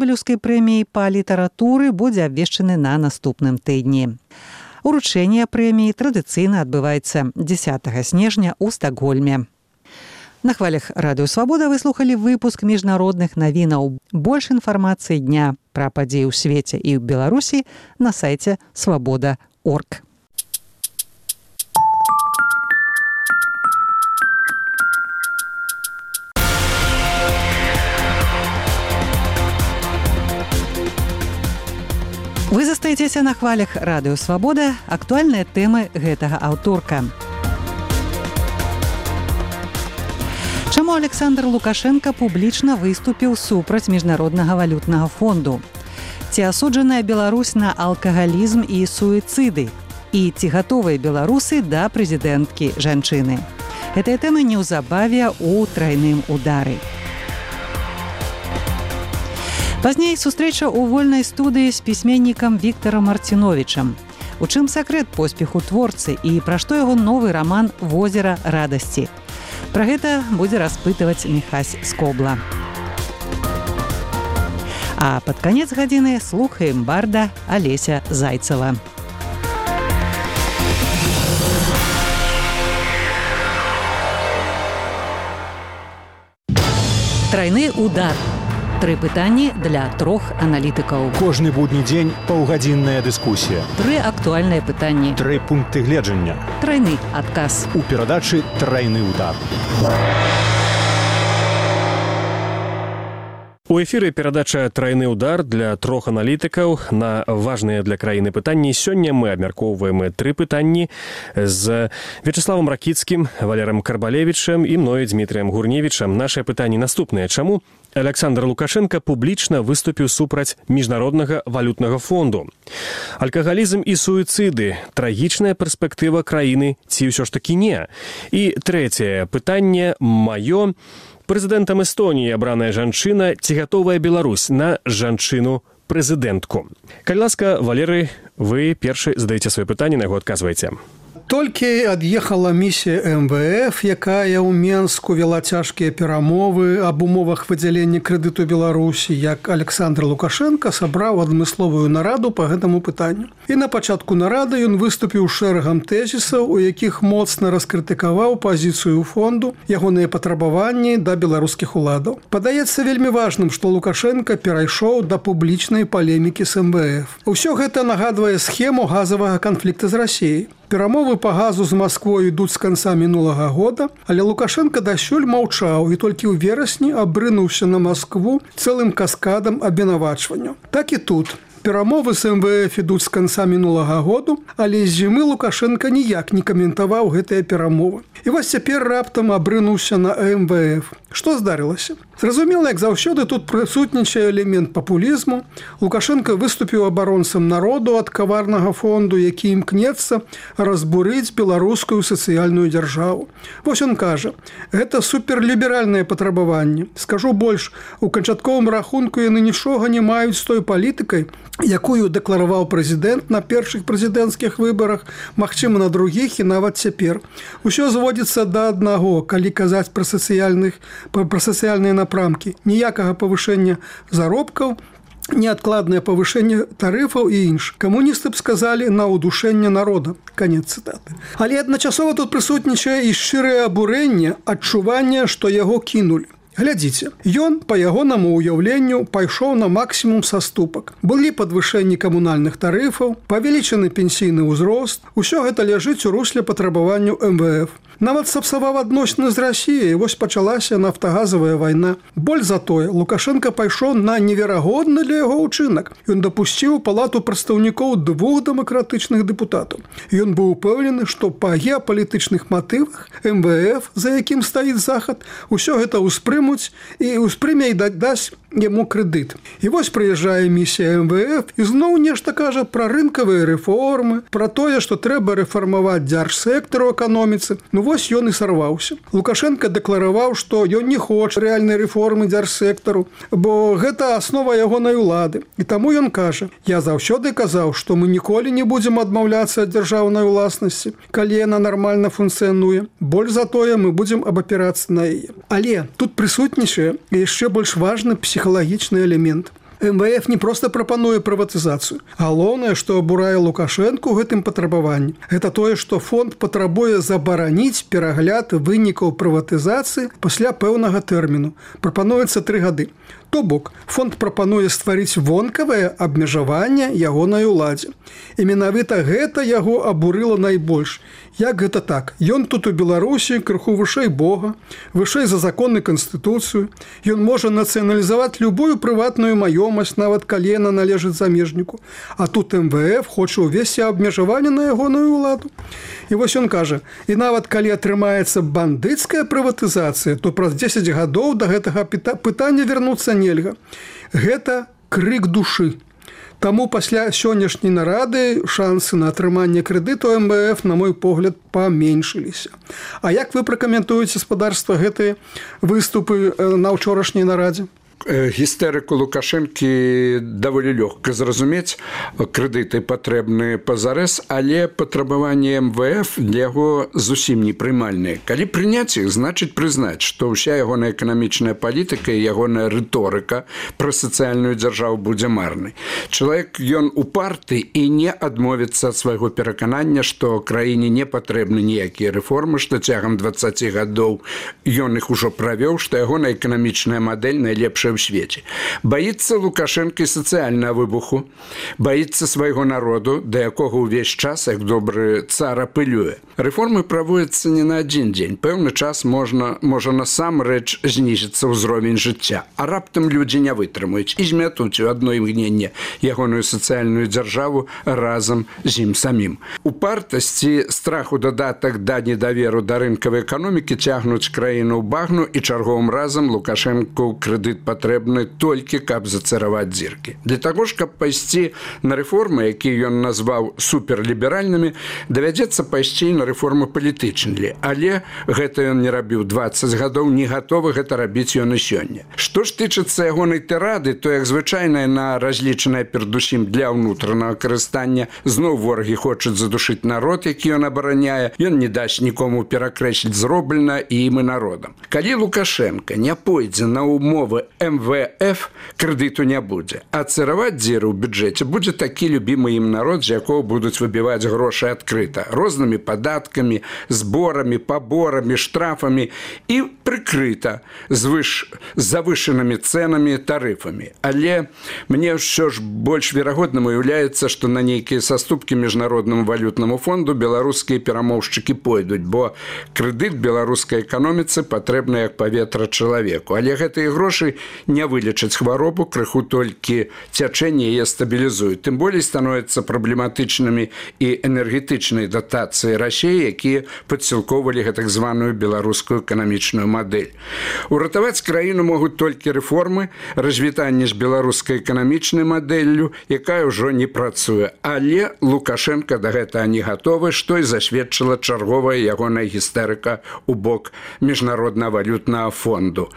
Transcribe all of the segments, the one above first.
Нобелеўскай прэміі па літаратуры будзе абвешчаны на наступным тыдні. Уручэнне прэміі традыцыйна адбываецца 10 снежня ў Стакгольме. На хвалях Радыё Свабода вы слухалі выпуск міжнародных навінаў. Больш інфармацыі дня пра падзеі ў свеце і ў Беларусі на сайце свабода.орг. Вы застаецеся на хвалях Радыё Свабода, актуальныя тэмы гэтага аўторка. Чаму Александр Лукашенко публічна выступіў супраць Міжнароднага валютнага фонду? Ці асуджаная Беларусь на алкагалізм і суіцыды? І ці гатовыя беларусы да прэзідэнткі жанчыны? Гэтыя тэмы неўзабаве ў трайным удары. Пазней сустрэча ў вольнай студыі з пісьменнікам Віктарам Марціновічам. У чым сакрэт поспеху творцы і пра што яго новы раман «Возера радасці». Пра гэта будзе распытваць Міхась Скобла. А пад канец гадзіны слухаем барда Алеся Зайцева. Трайны удар. 3 пытанні для 3 аналітыкаў. Кожны будні дзень паўгадзінная дыскусія. 3 актуальныя пытанні. 3 пункты гледжання. Трайны адказ. У перадачы «Трайны удар». У эфіры перадача «Трайны удар» для 3 аналітыкаў на важныя для краіны пытанні. Сёння мы абмяркоўваем 3 пытанні з Вячеславам Ракіцкім, Валером Карбалевічем і мною, Дмітрыем Гурневічам. Нашыя пытанні наступныя. Чаму Александр Лукашенко публічна выступіў супраць Міжнароднага валютнага фонду? Алкагалізм і суіцыды. Трагічная перспектыва краіны ці ўсё ж такі не? І трэцяе пытанне маё. Прэзідэнтам Эстоніі абраная жанчына, ці гатовая Беларусь на жанчыну-прэзідэнтку? Калі ласка, Валерый, вы першы задаеце свае пытанні, на яго адказваеце. Толькі ад'ехала місія МВФ, якая ў Менску вела цяжкія перамовы аб умовах выдзялення крэдыту Беларусі, як Александр Лукашенко сабраў адмысловую нараду па гэтаму пытанню. І на пачатку нарады ён выступіў шэрагам тэзісаў, у якіх моцна раскрытыкаваў пазіцыю фонду, ягоныя патрабаванні да беларускіх уладаў. Падаецца вельмі важным, што Лукашенко перайшоў да публічнай палемікі з МВФ. Усё гэта нагадвае схему газавага канфлікта з Расіяй. Перамовы па газу з Масквой ідуць з канца мінулага года, але Лукашенко дасюль маўчаў і толькі ў верасні абрынуўся на Маскву цэлым каскадам абвінавачванняў. Так і тут. Перамовы з МВФ ідуць з канца мінулага году, але з зімы Лукашенко ніяк не каментаваў гэтыя перамовы. І вось цяпер раптам абрынуўся на МВФ. Што здарылася? Зразумела, як заўсёды тут прысутнічае элемент папулізму. Лукашенко выступіў абаронцам народу ад каварнага фонду, які імкнецца разбурыць беларускую сацыяльную дзяржаву. Вось ён кажа, гэта суперліберальнае патрабаванне. Скажу больш, у канчатковым рахунку яны нічога не маюць з той палітыкай, якую дэклараваў прэзідэнт на першых прэзідэнцкіх выбарах, магчыма, на другіх і нават цяпер. Усё зводзіцца да аднаго, калі казаць пра сацыяльныя напрамкі. Ніякага павышэння заробкаў, неадкладнае павышэнне тарыфаў і інш. Камуністы б сказалі на ўдушэнне народа. Канец цытаты. Але адначасова тут прысутнічае і шчырае абурэнне, адчуванне, што яго кінулі. Глядзіце, ён, па ягонаму ўяўленню, пайшоў на максімум саступак. Былі падвышэнні камунальных тарыфаў, павелічаны пенсійны ўзрост. Усё гэта ляжыць у русле патрабаванняў МВФ. Нават сапсаваў адносіны з Расіяй, вось пачалася нафтагазавая вайна. Боль за тое, Лукашенко пайшоў на неверагодны для яго ўчынак. Ён дапусціў у палату прадстаўнікоў 2 дэмакратычных дэпутатаў. Ён быў упэўнены, што па геапалітычных матывах МВФ, за якім стаіць захад, усё гэта ўспрымуць і ўспрыме і дасць яму крэдыт. І вось прыязджае місія МВФ і зноў нешта кажа пра рынкавыя рэформы, пра тое, што трэба рэфармаваць дзяржсектар у эканоміцы. Ну вось ён і сарваўся. Лукашенко дэклараваў, што ён не хоча рэальнай рэформы дзяржсектару, бо гэта аснова ягонай улады. І таму ён кажа, я заўсёды казаў, што мы ніколі не будзем адмаўляцца ад дзяржаўнай уласнасці, калі яна нармальна функцыянуе. Больш за тое мы будзем абапірацца на яе. Але тут прысутнічае яшчэ больш важны псіхалагічны элемент. МВФ не проста прапануе прыватызацыю. Галоўнае, што абурае Лукашэнку ў гэтым патрабаванні, гэта тое, што фонд патрабуе забараніць перагляд вынікаў прыватызацыі пасля пэўнага тэрміну. Прапануецца 3 гады. То бок, фонд прапануе стварыць вонкавае абмежаванне ягонай уладзе. І менавіта гэта яго абурыла найбольш. Як гэта так? Ён тут у Беларусі крыху вышэй Бога, вышэй за законы Канстытуцыю. Ён можа нацыяналізаваць любую прыватную маёмасць, нават калі яна належыць замежніку. А тут МВФ хоча ўвесці абмежаванне на ягоную ўладу. І вось ён кажа, і нават калі атрымаецца бандыцкая прыватызацыя, то праз 10 гадоў да гэтага пытання вярнуцца нельга. Гэта крык душы. Таму пасля сённяшняй нарады шансы на атрыманне крэдыту МВФ, на мой погляд, паменшыліся. А як вы пракаментуеце, спадарства, гэтыя выступы на ўчорашняй нарадзе? Гістэрыку Лукашэнкі даволі лёгка зразумець, крэдыты патрэбны пазарэз, але патрабаванні МВФ для яго зусім непрымальныя. Калі прыняць іх, значыць прызнаць, што ўся ягоная эканамічная палітыка і ягоная рыторыка пра сацыяльную дзяржаву будзе марнай. Чалавек, ён упарты і не адмовіцца ад свайго пераканання, што краіне не патрэбны ніякія рэформы, што цягам 20 гадоў ён іх ужо правёў, што ягоная эканамічная мадэль найлепшая ў свеце. Баіцца Лукашэнка сацыяльнага выбуху, баіцца свайго народу, да якога ўвесь час, як добры цар, апылюе. Рэформы праводзяцца не на адзін дзень. Пэўны час можа насамрэч знізіцца ўзровень жыцця, а раптам людзі не вытрымаюць і змятуць у адно імгненне ягоную сацыяльную дзяржаву разам з ім самім. Упартасці, страху дадатак да недаверу да рынкавай эканомікі цягнуць краіну ў багну, і чарговым разам Лукашэнку крэдыт патрэбны толькі, каб зацараваць дзіркі. Для таго ж, каб пайсці на рэформы, якія ён назваў суперліберальнымі, давядзецца пайсці на рэформы палітычныя. Але гэта ён не рабіў 20 гадоў, не гатовы гэта рабіць ён і сёння. Што ж тычыцца ягонай тырады, то, як звычайна, яна разлічаная перадусім для ўнутранага карыстання. Зноў ворагі хочуць задушыць народ, які ён абараняе. Ён не дасць нікому перакрэсліць зроблена і ім і народам. Калі Лукашэнка не пойдзе на умовы МВФ, крэдыту не будзе. А цараваць дзіры ў бюджэце будзе такі любімы ім народ, з якого будуць выбіваць грошы адкрыта, рознымі падаткамі, зборамі, паборамі, штрафамі і прыкрыта завышанымі цэнамі, тарыфамі. Але мне ўсё ж больш верагодным уяўляецца, што на нейкія саступкі Міжнароднаму валютнаму фонду беларускія перамоўшчыкі пойдуць, бо крэдыт беларускай эканоміцы патрэбны як паветра чалавеку. Але гэтыя грошы не вылечаць хваробу, крыху толькі цячэнне яе стабілізуюць. Тым болей становяцца праблематычнымі і энергетычнай датацыі Расіі, якія падсілкоўвалі гэтак званую беларускую эканамічную мадэль. Уратаваць краіну могуць толькі рэформы, развітанне з беларускай эканамічнай мадэллю, якая ўжо не працуе. Але Лукашэнка да гэтага не гатовы, што і засведчыла чарговая ягоная гістэрыка ў бок Міжнароднага валютнага фонду.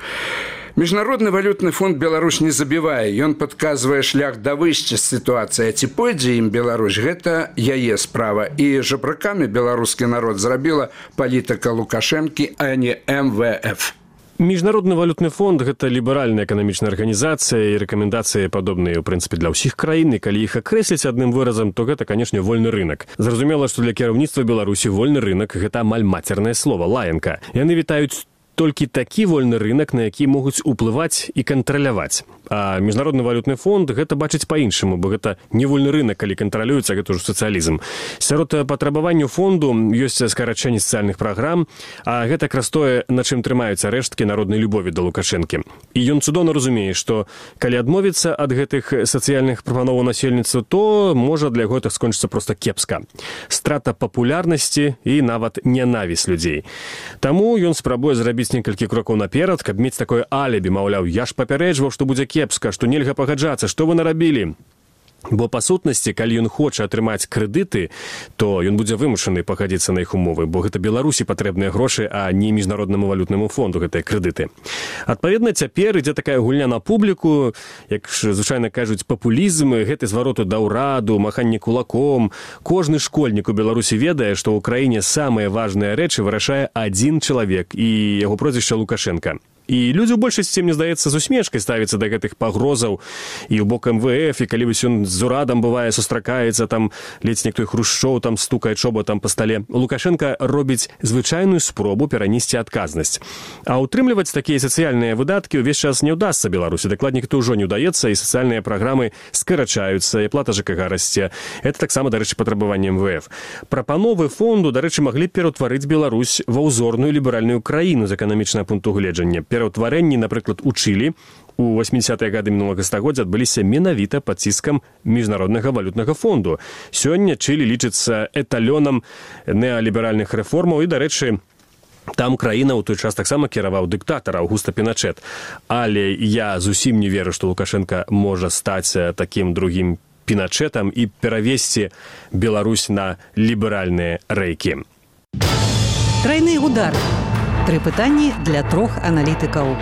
Міжнародны валютны фонд Беларусь не забівае, ён падказвае шлях да выйсця з сітуацыі. Ці пойдзе ім Беларусь, гэта яе справа. І жабракамі беларускі народ зрабіла палітыка Лукашэнкі, а не МВФ. Міжнародны валютны фонд – гэта ліберальная эканамічная арганізацыя, і рэкамендацыі падобныя, у прынцыпе, для ўсіх краін, і калі іх акрэсліць адным выразам, то гэта, канешне, вольны рынак. Зразумела, што для кіраўніцтва Беларусі вольны рынак – гэта амаль мацернае слова, лаянка. Яны вітаюць толькі такі вольны рынак, на які могуць уплываць і кантраляваць. А Міжнародны валютны фонд гэта бачыць па-іншаму, бо гэта не вольны рынак, калі кантралюецца, гэта ўжо сацыялізм. Сярод патрабаванняў фонду ёсць скарачэнне сацыяльных праграм, а гэта якраз тое, на чым трымаюцца рэшткі народнай любові да Лукашэнкі. І ён цудоўна разумее, што калі адмовіцца ад гэтых сацыяльных прапановаў насельніцтва, то можа для яго гэта скончыцца проста кепска. Страта папулярнасці і нават нянавість людзей. Таму ён спрабуе зрабіць некалькі крокаў наперад, каб мець такое алібі, маўляў, я ж папярэджваў, што будзе кепска, што нельга пагаджацца, што вы нарабілі. Бо па сутнасці, калі ён хоча атрымаць крэдыты, то ён будзе вымушаны пагадзіцца на іх умовы, бо гэта Беларусі патрэбныя грошы, а не Міжнароднаму валютнаму фонду гэтыя крэдыты. Адпаведна, цяпер ідзе такая гульня на публіку, як звычайна кажуць, папулізм, гэты звароту да ўраду, маханне кулаком. Кожны школьнік у Беларусі ведае, што ў краіне самыя важныя рэчы вырашае адзін чалавек, і яго прозвішча Лукашэнка. І людзі ў большасці, мне здаецца, з усмешкай ставяцца да гэтых пагрозаў і ў бок МВФ, і калі вось ён з урадам бывае сустракаецца, там ледзь некто Хрушчоў там стукае чоботам па стале. Лукашенко робіць звычайную спробу перанесці адказнасць. А утрымліваць такія сацыяльныя выдаткі ўвесь час не ўдасца Беларусі. Дакладней, гэта ўжо не ўдаецца, і сацыяльныя праграмы скарачаюцца, і плата ЖКХ расце. Это таксама, дарэчы, патрабаванне МВФ. Прапановы фонду, дарэчы, маглі пераўтварыць Беларусь ва ўзорную ліберальную краіну з эканамічнага пункту гледжання. Пераўтварэнні, напрыклад, у Чылі у 80-е гады мінулага стагоддзя адбыліся менавіта пад ціскам міжнароднага валютнага фонду. Сёння Чылі лічыцца эталёнам неаліберальных рэформаў і, дарэчы, там краіна ў той час таксама кіраваў дыктатар Аўгуста Піначэт. Але я зусім не веру, што Лукашенко можа стаць такім другім Піначэтам і перавесці Беларусь на ліберальныя рэйкі. Трайны удар. 3 пытанні для 3 аналітыкаў.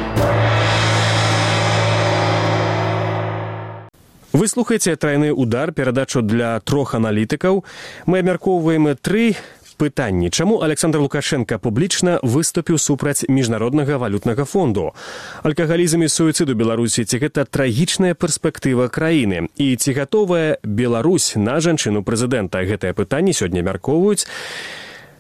Вы слухаеце «Трайны удар», перадачу для 3 аналітыкаў. Мы абмяркоўваем 3 пытанні. Чаму Александр Лукашенко публічна выступіў супраць міжнароднага валютнага фонду? Алкагалізм і суіцыд у Беларусі, ці гэта трагічная перспектыва краіны? І ці гатовая Беларусь на жанчыну прэзідэнта? Гэтае пытанне сёння абмяркоўваюць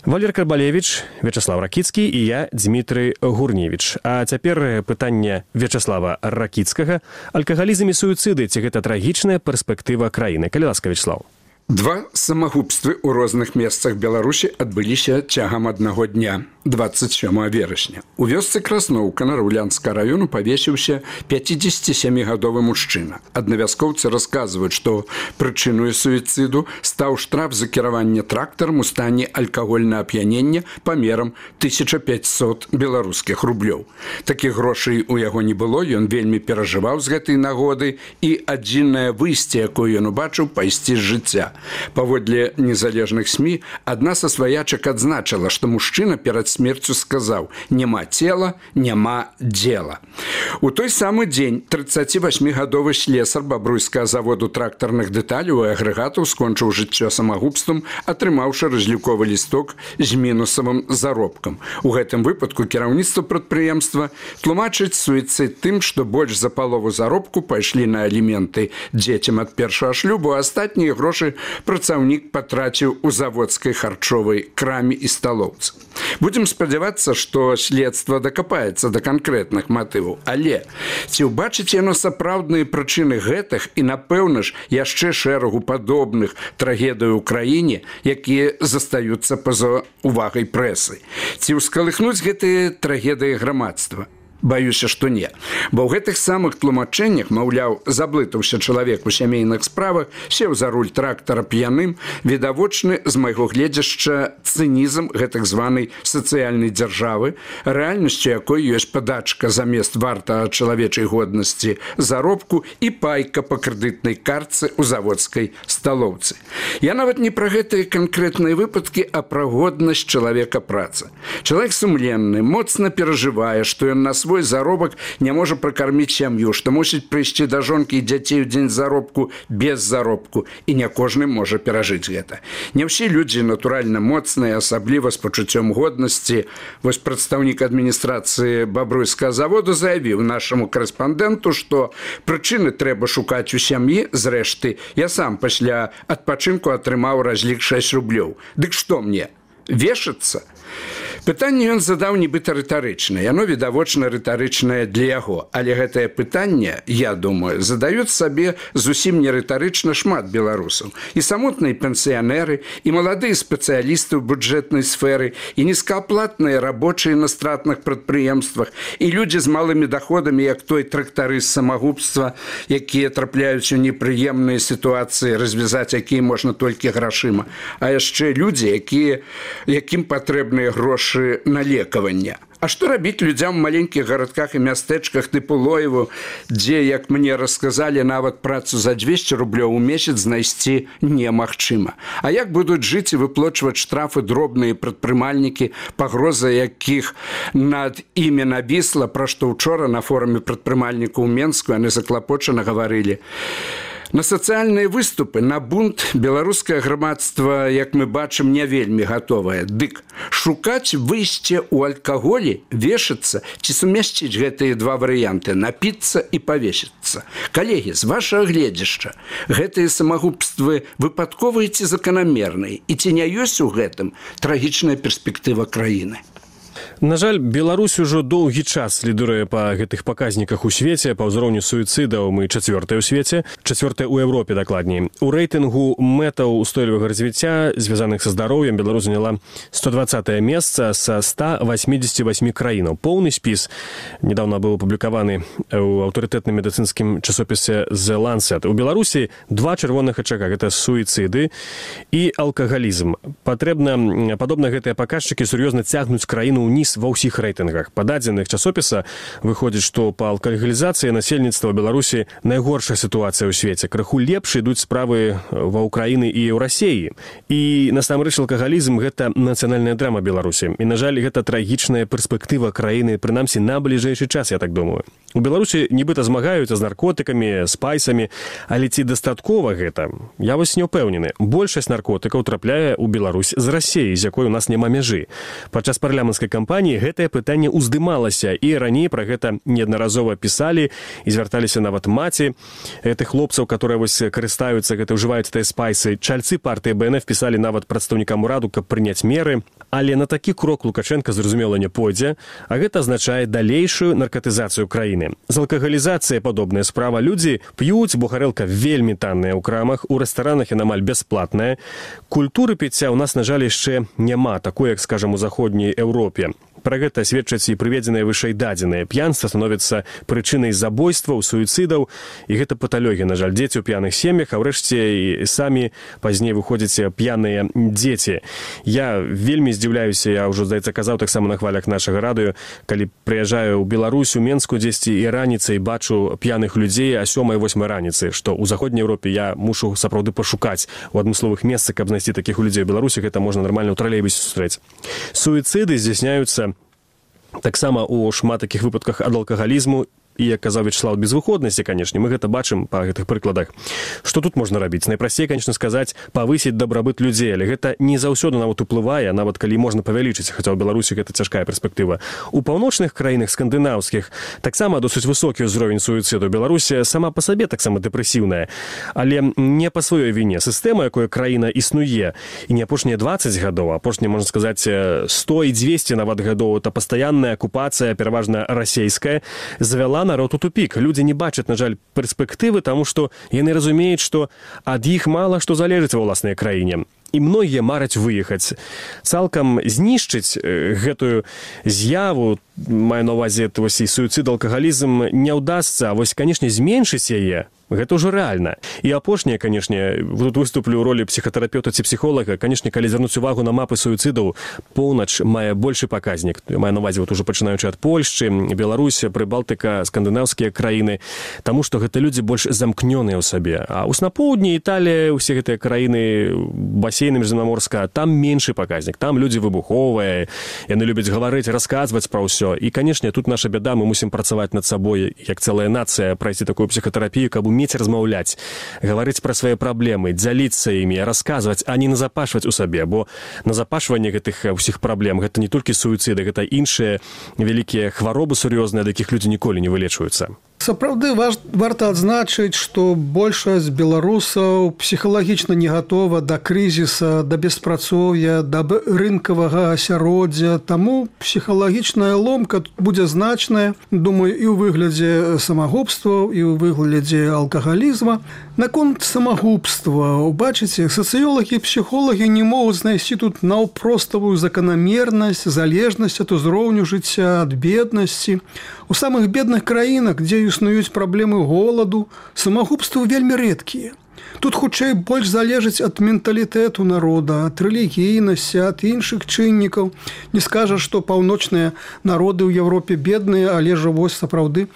Валер Карбалевич, Вячеслав Ракіцкі і я, Дмітрый Гурневіч. А цяпер пытанне Вячеслава Ракіцкага. Алкагалізм і суіцыды, ці гэта трагічная перспектыва краіны? Калі ласка, Вячеслав. 2 самагубствы ў розных месцах Беларусі адбыліся цягам аднаго дня, 27 верасня. У вёсцы Красноўка Нараўлянскага раёну павесіўся 57-гадовы мужчына. Аднавяскоўцы расказваюць, што прычыною суіцыду стаў штраф за кіраванне трактарам у стане алкагольнага ап'янення памерам 1500 беларускіх рублёў. Такіх грошай у яго не было, ён вельмі перажываў з гэтай нагоды, і адзінае выйсце, якое ён убачыў, пайсці з жыцця. Паводле незалежных СМІ, адна са сваячак адзначыла, што мужчына перад смерцю сказаў: «Няма цела, няма дзела». У той самы дзень 38-гадовы слесар бабруйскага заводу трактарных дэталяў і агрэгатаў скончыў жыццё самагубствам, атрымаўшы разліковы лісток з мінусавым заробкам. У гэтым выпадку кіраўніцтва прадпрыемства тлумачыць суіцыд тым, што больш за палову заробку пайшлі на аліменты дзецям ад першага шлюбу, а астатнія грошы працаўнік патраціў у заводскай харчовай краме і сталоўцы. Будзем спадзявацца, што следства дакапаецца да канкрэтных матываў. Але ці ўбачыць яно сапраўдныя прычыны гэтых і, напэўна ж, яшчэ шэрагу падобных трагедый у краіне, якія застаюцца па-за увагай прэсы? Ці ўскалыхнуць гэтыя трагедыі грамадства? Баюся, што не. Бо ў гэтых самых тлумачэннях, маўляў, заблытаўся чалавек у сямейных справах, сеў за руль трактара п'яным, відавочны з майго гледзяшча цынізм гэтак званай сацыяльнай дзяржавы, рэальнасцю якой ёсць падачка замест варта чалавечай годнасці заробку і пайка па крэдытнай картцы ў заводскай сталоўцы. Я нават не пра гэтыя канкрэтныя выпадкі, а пра годнасць чалавека працы. Чалавек сумленны, моцна перажывае, што ён на свой заробак не можа пракарміць сям'ю, што мусіць прыйсці да жонкі і дзяцей у дзень заробку без заробку, і не кожны можа перажыць гэта. Не ўсе людзі натуральна моцныя, асабліва з пачуццём годнасці. Вось прадстаўнік адміністрацыі бабруйскага заводу заявіў нашаму корэспандэнту, што прычыны трэба шукаць у сям'і. Зрэшты, я сам пасля адпачынку атрымаў разлік 6 рублёў. Дык што мне? Вешацца? Пытанне ён задаў нібыта рытарычнае. Яно, відавочна, рытарычнае для яго. Але гэтае пытанне, я думаю, задаюць сабе зусім не рытарычна шмат беларусаў. І самотныя пенсіянеры, і маладыя спецыялісты ў бюджэтнай сферы, і нізкааплатныя рабочыя на стратных прадпрыемствах, і людзі з малымі доходамі, як той трактарыст самагубства, якія трапляюць у непрыемныя сітуацыі, развязаць якія можна толькі грашыма. А яшчэ людзі, якім патрэбныя грошы на лекаванне. А што рабіць людзям у маленькіх гарадках і мястэчках тыпу Лоеву, дзе, як мне расказалі, нават працу за 200 рублёў у месяц знайсці немагчыма? А як будуць жыць і выплачваць штрафы дробныя прадпрымальнікі, пагроза якіх над імі навісла, пра што ўчора на форуме прадпрымальнікаў у Менску яны заклапочана гаварылі? На сацыяльныя выступы, на бунт беларускае грамадства, як мы бачым, не вельмі гатовае. Дык шукаць выйсце ў алкаголі, вешацца ці сумясціць гэтыя два варыянты – напіцца і павесіцца. Калегі, з вашага гледзяшча, гэтыя самагубствы выпадковыя ці заканамерныя? І ці не ёсць у гэтым трагічная перспектыва краіны? На жаль, Беларусь ужо доўгі час лідыруе па гэтых паказніках у свеце. Па ўзроўню суіцыдаў мы чацвёртая ў свеце, чацвёртая ў Еўропе дакладней. У рэйтынгу мэтаў устойлівага развіцця, звязаных са здароўем, Беларусь заняла 120е месца са 188 краінаў. Поўны спіс недавно быў апублікаваны ў аўтарытэтным медыцынскім часопісе The Lancet. У Беларусі два чырвоных ачага – гэта суіцыды і алкагалізм. Падобна гэтыя паказчыкі сур'ёзна цягнуць краіну ўніз ва ўсіх рэйтынгах. Па дадзеных часопіса выходзіць, што па алкагалізацыі насельніцтва Беларусі найгоршая сітуацыя ў свеце. Крыху лепш ідуць справы ва ўкраіны і ў Расіі. І насамрэч алкагалізм – гэта нацыянальная драма Беларусі. І, на жаль, гэта трагічная перспектыва краіны, прынамсі, на бліжэйшы час, я так думаю. У Беларусі нібыта змагаюцца з наркотыкамі, спайсамі, але ці дастаткова гэта? Я вось не ўпэўнены. Большасць наркотыкаў трапляе ў Беларусь з Расіі, з якой у нас няма мяжы. Падчас парламенцкай кампаніі гэтае пытанне ўздымалася, і раней пра гэта неаднаразова пісалі і звярталіся нават маці гэтых хлопцаў, которые вось карыстаюцца, гэта ўжываюць тыя спайсы. Чальцы партыі БНФ пісалі нават прадстаўнікам ураду, каб прыняць меры. Але на такі крок Лукашенко, зразумела, не пойдзе, а гэта азначае далейшую наркатызацыю краіны. З алкагалізацыяй падобная справа. Людзі п'юць, бо гарэлка вельмі танная ў крамах, у рэстаранах яна амаль бясплатная. Культуры піцця ў нас, на жаль, яшчэ няма такой, як, скажам, у заходняй Еўропе. Пра гэта сведчаць і прыведзеныя вышэй дадзеныя. П'янства становіцца прычынай забойстваў, суіцыдаў, і гэта паталёгі, на жаль, дзеці ў п'яных сем'ях, а ўрэшце і самі пазней выходзяць п'яныя дзеці. Я вельмі здзіўляюся, я ўжо, здаецца, казаў таксама на хвалях нашага радыё, калі прыязджаю ў Беларусь, у Менску дзесьці і раніцай бачу п'яных людзей а 7-8 раніцы, што ў заходняй Еўропе я мушу сапраўды пашукаць у адмысловых месцах, каб знайсці такіх людзей. У Беларусі гэта можна нармальна ў тралейбусе сустрэць. Суіцыды здзяйсняюцца таксама ў шмат такіх выпадках ад алкагалізму, і, як казаў Вячеслав, безвыходнасці, канешне, мы гэта бачым па гэтых прыкладах. Што тут можна рабіць? Найпрасцей, канешне, сказаць, павысіць дабрабыт людзей, але гэта не заўсёды нават уплывае, нават калі можна павялічыць, хаця ў Беларусі гэта цяжкая перспектыва. У паўночных краінах скандынаўскіх таксама досыць высокі ўзровень суіцыду. Беларусі сама па сабе таксама дэпрэсіўная, але не па сваёй віне. Сістэма, якой краіна існуе, і не апошнія 20 гадоў, а апошнія, можна сказаць, 100 і 200 нават гадоў, это пастаянная акупацыя, пераважна расейская, завяла народ у тупік. Людзі не бачаць, на жаль, перспектывы, таму што яны разумеюць, што ад іх мала што залежыць ва ўласнай краіне. І многія мараць выехаць. Цалкам знішчыць гэтую з'яву, маю на ўвазе і суіцыд, алкагалізм, не ўдасца, а вось, канешне, зменшыць яе, гэта ўжо рэальна. І апошняе, канешне, тут выступлю ў ролі псіхатэрапeuта ці псіхолага, канешне, калі звярнуць увагу на мапы суіцыдаў, поўнач мае большы паказнік. Маю на ўвазе ўжо пачынаючы ад Польшчы, Беларусь, Прыбалтыка, скандынаўскія краіны, таму што гэта людзі больш замкнёныя ў сабе. А ў на поўдні, Італія, усе гэтыя краіны басейна міжземнаморска, там меншы паказнік, там людзі выбуховыя, яны любяць гаварыць, расказваць пра ўсё. І, канешне, тут наша бяда, мы мусім працаваць над сабой, як цэлая нацыя, прайсці такую псіхатэрапію, каб умець размаўляць, гаварыць пра свае праблемы, дзяліцца імі, расказваць, а не назапашваць у сабе, бо назапашванне гэтых усіх праблем, гэта не толькі суіцыды, гэта іншыя вялікія хваробы сур'ёзныя, ад якіх людзі ніколі не вылечваюцца. Сапраўды варта адзначыць, што большасць беларусаў псіхалагічна не гатова да крызіса, да беспрацоўя, да рынкавага асяроддзя, таму псіхалагічная ломка тут будзе значная, думаю, і ў выглядзе самагубстваў, і ў выглядзе алкагалізма. Наконт самагубства, убачыце, сацыёлагі і псіхолагі не могуць знайсці тут наўпроставую заканамернасць, залежнасць ад узроўню жыцця, ад беднасці. У самых бедных краінах, дзе існуюць праблемы голаду, самагубствы вельмі рэдкія. Тут хутчэй больш залежыць ад менталітэту народа, ад рэлігійнасці, ад іншых чыннікаў. Не скажаш, што паўночныя народы ў Европе бедныя, але ж вось сапраўды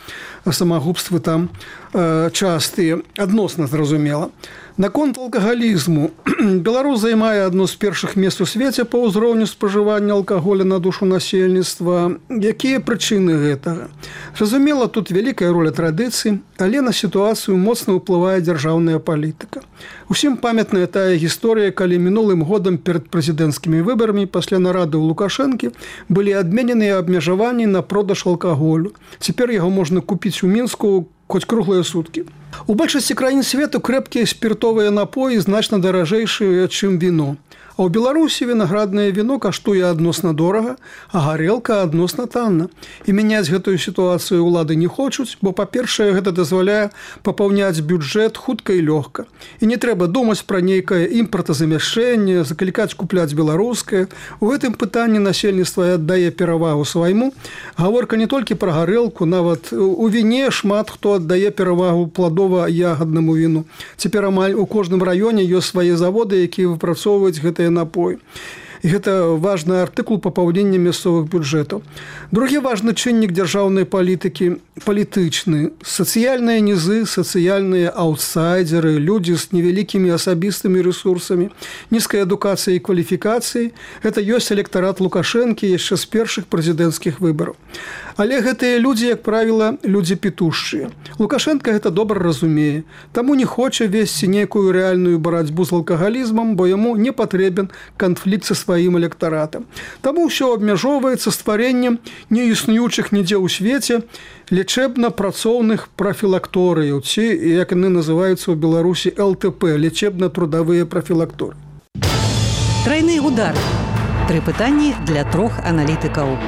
самагубствы там частыя, адносна зразумела. Наконт алкагалізму. Беларусь займае адно з першых мест у свеце па ўзроўню спажывання алкаголя на душу насельніцтва. Якія прычыны гэтага? Зразумела, тут вялікая роля традыцый, але на сітуацыю моцна ўплывае дзяржаўная палітыка. Усім памятная тая гісторыя, калі мінулым годам перад прэзідэнцкімі выбарамі пасля нарады ў Лукашэнкі былі адмененыя абмежаванні на продаж алкаголю. Цяпер яго можна купіць у Мінску хоць круглыя суткі. У большасці краін свету крэпкія спіртовыя напоі значна даражэйшыя, чым віно. А ў Беларусі вінаграднае віно каштуе адносна дорага, а гарэлка адносна танна. І мяняць гэтую сітуацыю ўлады не хочуць, бо, па-першае, гэта дазваляе папаўняць бюджэт хутка і лёгка. І не трэба думаць пра нейкае імпартазамяшчэнне, заклікаць купляць беларускае. У гэтым пытанні насельніцтва аддае перавагу свайму. Гаворка не толькі пра гарэлку, нават у віне шмат хто аддае перавагу пладова-ягаднаму віну. Цяпер амаль у кожным раёне ёсць свае заводы, якія выпрацоўваюць гэтыя напой. І гэта важны артыкул папаўнення мясцовых бюджэтаў. Другі важны чыннік дзяржаўнай палітыкі – палітычны. Сацыяльныя нізы, сацыяльныя аўтсайдеры, людзі з невялікімі асабістымі рэсурсамі, нізкай адукацыяй і кваліфікацыяй – гэта ёсць электарат Лукашэнкі яшчэ з першых прэзідэнцкіх выбараў. Але гэтыя людзі, як правіла, людзі пітушчыя. Лукашенко гэта добра разумее, таму не хоча весці нейкую рэальную барацьбу з алкагалізмам, бо яму не патрэбен канфлікт са сваім электаратам. Таму ўсё абмяжоўваецца стварэннем неіснуючых нідзе ў свеце лечэбна-працоўных прафілакторыяў, ці, як яны называюцца ў Беларусі, ЛТП, лечэбна-трудавыя прафілакторы. Трайны удар. 3 пытанні для 3 аналітыкаў.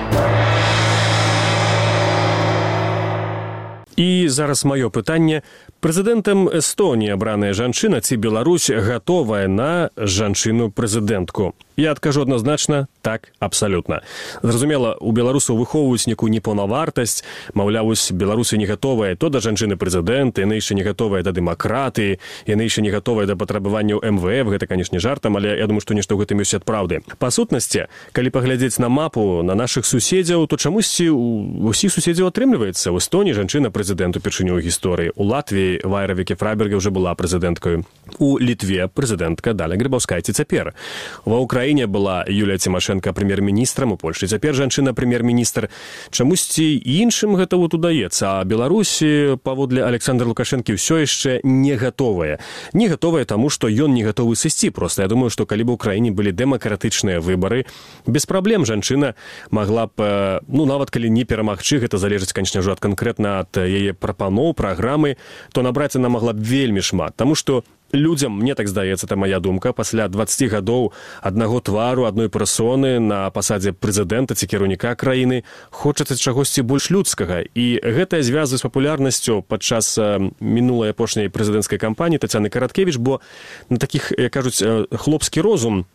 І зараз маё пытанне. Прэзідэнтам Эстонії абраная жанчына ці Беларусь гатовая на жанчыну-прэзідэнтку? Я адкажу адназначна, так, абсалютна. Зразумела, у беларусаў выхоўваюць некую непаўнавартасць, маўляў, беларусы не гатовыя то да жанчыны-прэзідэнта, яны яшчэ не гатовыя да дэмакратыі, яны яшчэ не гатовыя да патрабаванняў МВФ, гэта, канешне, жартам, але я думаю, што нешта ў гэтым ёсць ад праўды. Па сутнасці, калі паглядзець на мапу на нашых суседзяў, то чамусьці у ўсіх суседзяў атрымліваецца. У Эстоніі жанчына-прэзідэнт упершыню ў гісторыі. У Латвіі Вайра Віке-Фрайберге ўжо была прэзідэнткаю. У Літве прэзідэнтка Даля Грыбаўскайце цяпер. Ва Ўкраіне была Юлія Цімашэнка прэм'ер-міністрам, у Польшчы цяпер жанчына прэм'ер-міністр. Чамусьці іншым гэта вот удаецца, а Беларусі, паводле Александра Лукашэнкі, ўсё яшчэ не гатовая. Не гатовая таму, што ён не гатовы сысці. Проста я думаю, што калі б у Украіне былі дэмакратычныя выбары, без праблем жанчына магла б, нават калі не перамагчы, гэта залежыць, канечне ж, канкрэтна ад яе прапаноў, праграмы, то набраць яна магла б вельмі шмат. Таму што людзям, мне так здаецца, это моя думка, пасля 20 гадоў аднаго твару, адной персоны на пасадзе прэзідэнта ці кіраўніка краіны хочацца чагосьці больш людскага. І гэта звязана з папулярнасцю падчас мінулай апошняй прэзідэнцкай кампаніі Тацяны Караткевіч, бо на такіх, як кажуць, хлопскі розум,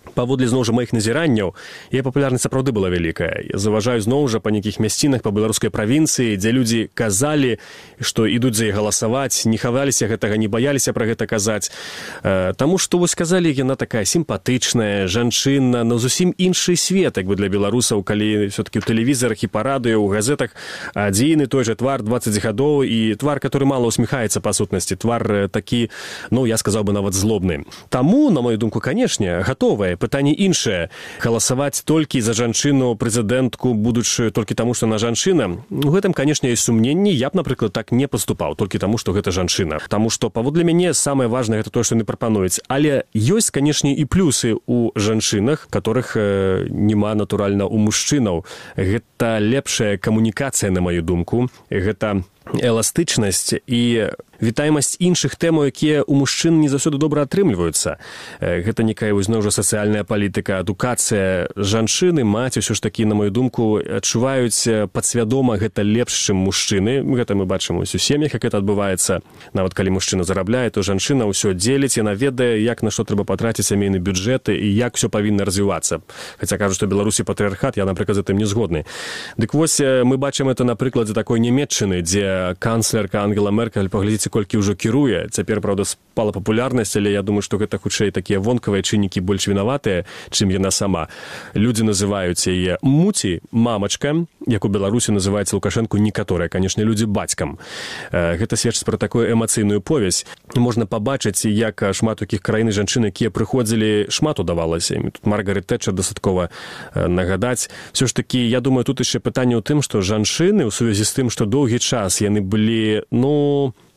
паводле зноў жа маіх назіранняў, яе папулярнасць сапраўды была вялікая. Я заўважаю зноў жа па нейкіх мясцінах па беларускай правінцыі, дзе людзі казалі, што ідуць за яе галасаваць, не хаваліся гэтага, не баяліся пра гэта казаць. Таму што, вось казалі, яна такая сімпатычная, жанчына, зусім іншы свет, як бы для беларусаў, калі все-таки ў тэлевізарах і па радыё, ў газетах адзін і той жа твар 20 гадоў, і твар, который мала усміхаецца па сутнасці, твар такі, я сказаў бы, нават злобны. Таму, на мою думку, канешне, гатовая. Пытанне іншае. Галасаваць толькі за жанчыну-прэзідэнтку, будучы толькі таму, што она жанчына, у гэтым, канешне, ёсць сумненні. Я б, напрыклад, так не паступаў, толькі таму, што гэта жанчына. Таму што, паводле мяне, самае важнае гэта тое, што яны прапануюць. Але ёсць, канешне, і плюсы ў жанчынах, которых няма, натуральна, у мужчынаў. Гэта лепшая камунікацыя, на маю думку. Гэта эластычнасць і вітаемасць іншых тэмаў, якія ў мужчын не заўсёды добра атрымліваюцца. Гэта некая зноў жа сацыяльная палітыка, адукацыя. Жанчыны, маці, ўсё ж такі, на мою думку, адчуваюць падсвядома гэта лепш, чым мужчыны. Гэта мы бачым у сям'ях, як гэта адбываецца. Нават калі мужчына зарабляе, то жанчына ўсё дзеліць, яна ведае, як на што трэба патраціць сямейны бюджэт і як ўсё павінна развівацца. Хаця кажуць, што Беларусі патрыархат, я, напрыклад, з гэтым не згодны. Дык вось мы бачым это на прыкладзе такой Нямецчыны, дзе канцлерка Ангела Меркель, паглядзіце, знаеце, колькі ўжо кіруе. Цяпер, правда, спала папулярнасць, але я думаю, што гэта хутчэй такія вонкавыя чыннікі больш вінаватыя, чым яна сама. Людзі называюць яе муці, мамачка, як у Беларусі называецца Лукашэнку некаторыя, канешне, людзі бацькам. Гэта сведчыць пра такую эмацыйную повязь. Можна пабачыць, як шмат у якіх краін жанчын, якія прыходзілі, шмат удавалася. Тут Маргарет Тэтчер дастаткова нагадаць. Всё ж такі, я думаю, тут яшчэ пытанне ў тым, што жанчыны ў сувязі з тым, што доўгі час яны былі,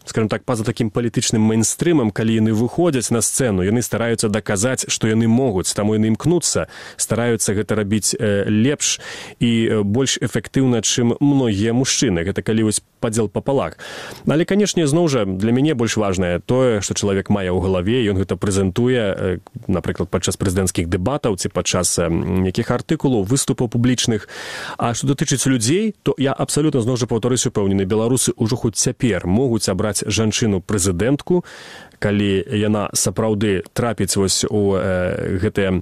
скажем так, па-за такім палітычным мейнстрымам, калі яны выходзяць на сцэну, яны стараюцца даказаць, што яны могуць, таму яны імкнуцца, стараюцца гэта рабіць лепш і больш эфектыўна, чым многія мужчыны. Гэта калі вось падзел папалах. Але, канешне, зноў жа, для мяне больш важнае тое, што чалавек мае ў галаве, ён гэта прэзентуе, напрыклад, падчас прэзідэнцкіх дэбатаў ці падчас якіх артыкулаў, выступаў публічных. А што датычыць людзей, то я абсалютна, зноў жа, паўтарысь, упэўнены, беларусы ўжо хоць цяпер могуць абраць жанчыну-прэзідэнтку, калі яна сапраўды трапіць вось у гэтыя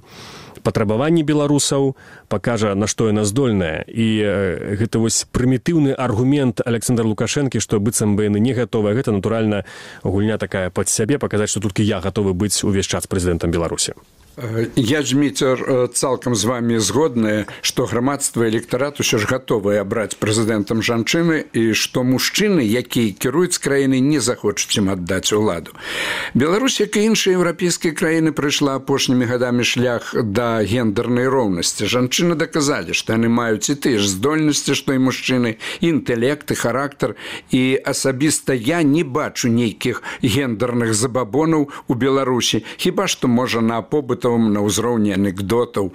патрабаванні беларусаў, пакажа, на што яна здольная. І гэта вось прымітыўны аргумент Александра Лукашэнкі, што быццам бы яны не гатовыя. Гэта, натуральна, гульня такая пад сябе, паказаць, што толькі я гатовы быць увесь час прэзідэнтам Беларусі. Я, Дміцер, цалкам з вами згодная, што грамадства і электарат усё ж гатовыя абраць прэзідэнтам жанчыны і што мужчыны, якія кіруюць краіны, не захочуць ім аддаць уладу. Беларусь, як і іншыя еўрапейскія краіны, прайшла апошнімі гадамі шлях да гендернай роўнасці. Жанчыны даказалі, што яны маюць і тыя ж здольнасці, што і мужчыны, інтэлект, і характар. І асабіста я не бачу нейкіх гендерных забабонаў у Беларусі, хіба што, можа, на побыт на ўзроўні анекдотаў.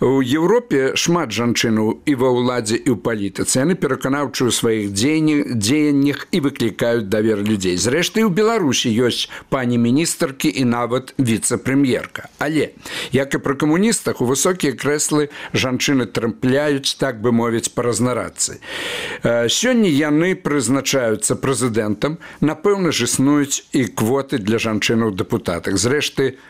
У Еўропе шмат жанчынаў і ва ўладзе, і ў палітыцы. Яны пераканаўчыя ў сваіх дзеяннях і выклікаюць давер людзей. Зрэшты, у Беларусі ёсць пані міністаркі і нават віцэ-прэм'ерка. Але, як і пры камуністах, у высокія крэслы жанчыны трапляюць, так бы мовіць, па разнарадцы. Сёння яны прызначаюцца прэзідэнтам, напэўна ж існуюць і квоты для жанчын у дэпутатах. Зрэшты,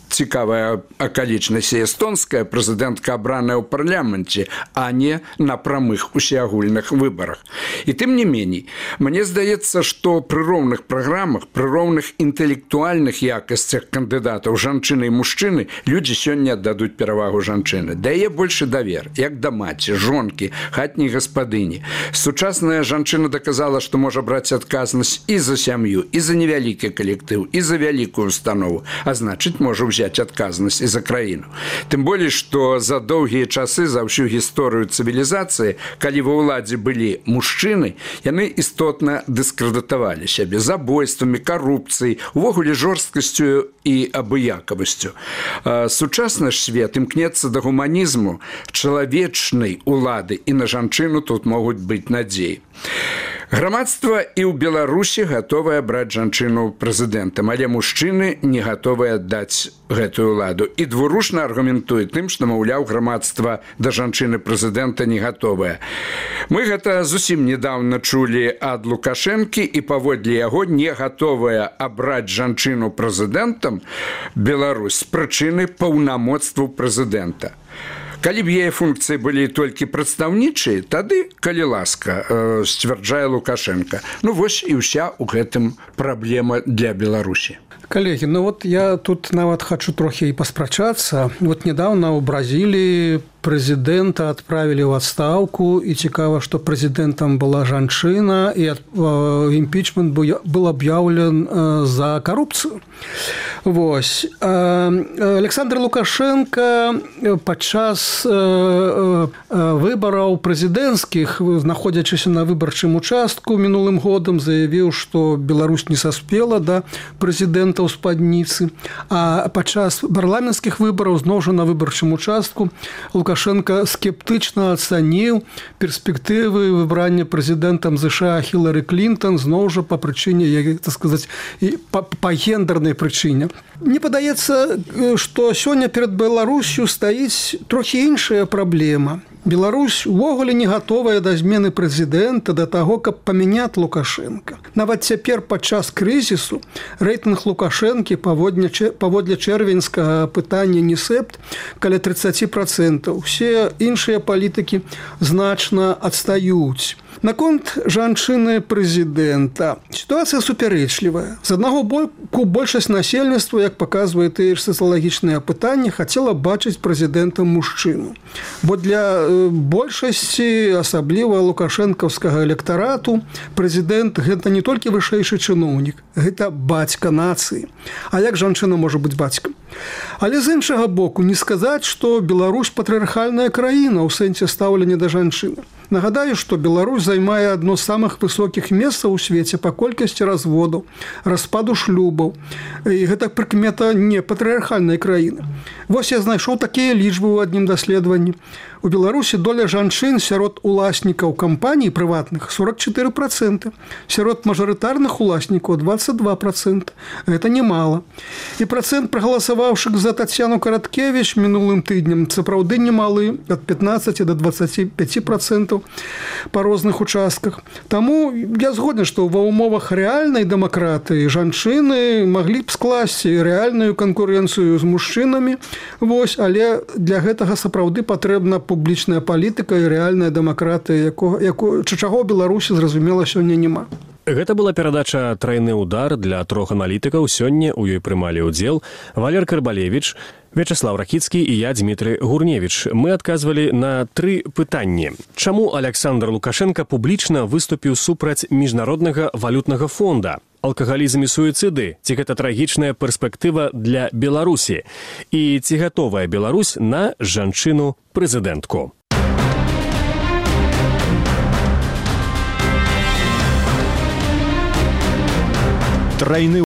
цікавая акалічнасць, эстонская прэзідэнтка абраная ў парламенце, а не на прамых усеагульных выбарах. І тым не меней, мне здаецца, што пры роўных праграмах, пры роўных інтэлектуальных якасцях кандыдатаў жанчыны і мужчыны людзі сёння аддадуць перавагу жанчыны. Дае большы давер, як да маці, жонкі, хатняй гаспадыні. Сучасная жанчына даказала, што можа браць адказнасць і за сям'ю, і за невялікі калектыў, і за вялікую установу, а значыць, можа ўзяць адказнасць і за краіну. Тым болей, што за доўгія часы, за ўсю гісторыю цывілізацыі, калі ва ўладзе былі мужчыны, яны істотна дыскрэдытавалі сябе забойствамі, карупцыяй, увогуле жорсткасцю і абыякавасцю. Сучасны ж свет імкнецца да гуманізму, чалавечнай улады, і на жанчыну тут могуць быць надзеі. Грамадства і ў Беларусі гатовае браць жанчыну прэзідэнтам, але мужчыны не гатовыя аддаць гэтую ўладу. І двурушна аргументуе тым, што, маўляў, грамадства да жанчыны прэзідэнта не гатовае. Мы гэта зусім недаўна чулі ад Лукашэнкі, і паводле яго не гатовая абраць жанчыну прэзідэнтам Беларусь з прычыны паўнамоцтву прэзідэнта. Калі б яе функцыі былі толькі прадстаўнічыя, тады, калі ласка, сцвярджае Лукашенко. Вось і ўся ў гэтым праблема для Беларусі. Коллеги, я тут нават хочу трохи и паспрачацца. Недавно у Бразилии президента отправили в отставку, и цікаво, что президентом была жанчына, и импичмент был объявлен за коррупцию. Александр Лукашенко падчас выбораў прэзідэнцкіх, знаходзячыся на выбарчым участку мінулым годам, заявіў, што Беларусь не саспела да прэзідэнта ў спадніцы, а падчас парламенцкіх выбараў зноў жа на выбарчым участку Лукашенко скептычна ацаніў перспектывы выбрання прэзідэнтам США Хілары Клінтон, зноў жа па прычыне, так сказаць, па гендернай прычыне. Мне падаецца, што сёння перад Беларусью стаіць трохі іншая праблема. Беларусь увогуле не гатовая да змены прэзідэнта, да таго, каб памяняць Лукашенко. Нават цяпер падчас крызісу рэйтынг Лукашэнкі паводле чэрвеньскага пытання НІСЭПТ каля 30%. Усе іншыя палітыкі значна адстаюць. Наконт жанчыны прэзідэнта. Сітуацыя супярэчлівая. З аднаго боку, большасць насельніцтва, як паказвае тыя ж сацыялагічныя апытанні, хацела бачыць прэзідэнтам мужчыну. Бо для большасці, асабліва лукашэнкаўскага электарату, прэзідэнт – гэта не толькі вышэйшы чыноўнік, гэта бацька нацыі. А як жанчына можа быць бацькам? Але з іншага боку, не сказаць, што Беларусь патрыархальная краіна ў сэнсе стаўлення да жанчыны. Нагадаю, што Беларусь займае адно з самых высокіх месцаў у свеце па колькасці разводаў, распаду шлюбаў. І гэта прыкмета не патрыархальнай краіны. Вось я знайшоў такія лічбы ў адным даследаванні. У Беларусі доля жанчын сярод уласнікаў кампаній прыватных 44%, сярод мажарытарных уласнікаў 22%. Гэта немало. І працэнт прагаласаваўшых за Тацяну Караткевіч мінулым тыднем сапраўды немалы, ад 15 до 25% па розных участках. Таму я згоден, што ва ўмовах рэальнай дэмакратыі жанчыны маглі б скласці рэальную канкурэнцыю з мужчынамі. Вось, але для гэтага сапраўды патрэбна публічная палітыка і рэальная дэмакратыя, чаго ў Беларусі, зразумела, сёння няма. Гэта была перадача «Трайны удар» для трох аналітыкаў. Сёння ў ёй прымалі ўдзел Валер Карбалевіч, Вячеслав Ракіцкі і я, Дмітрый Гурневіч. Мы адказвалі на 3 пытанні. Чаму Александр Лукашенко публічна выступіў супраць міжнароднага валютнага фонда? Алкагалізм і суіцыды? Ці гэта трагічная перспектыва для Беларусі? І ці гатовая Беларусь на жанчыну-прэзідэнтку? Трайны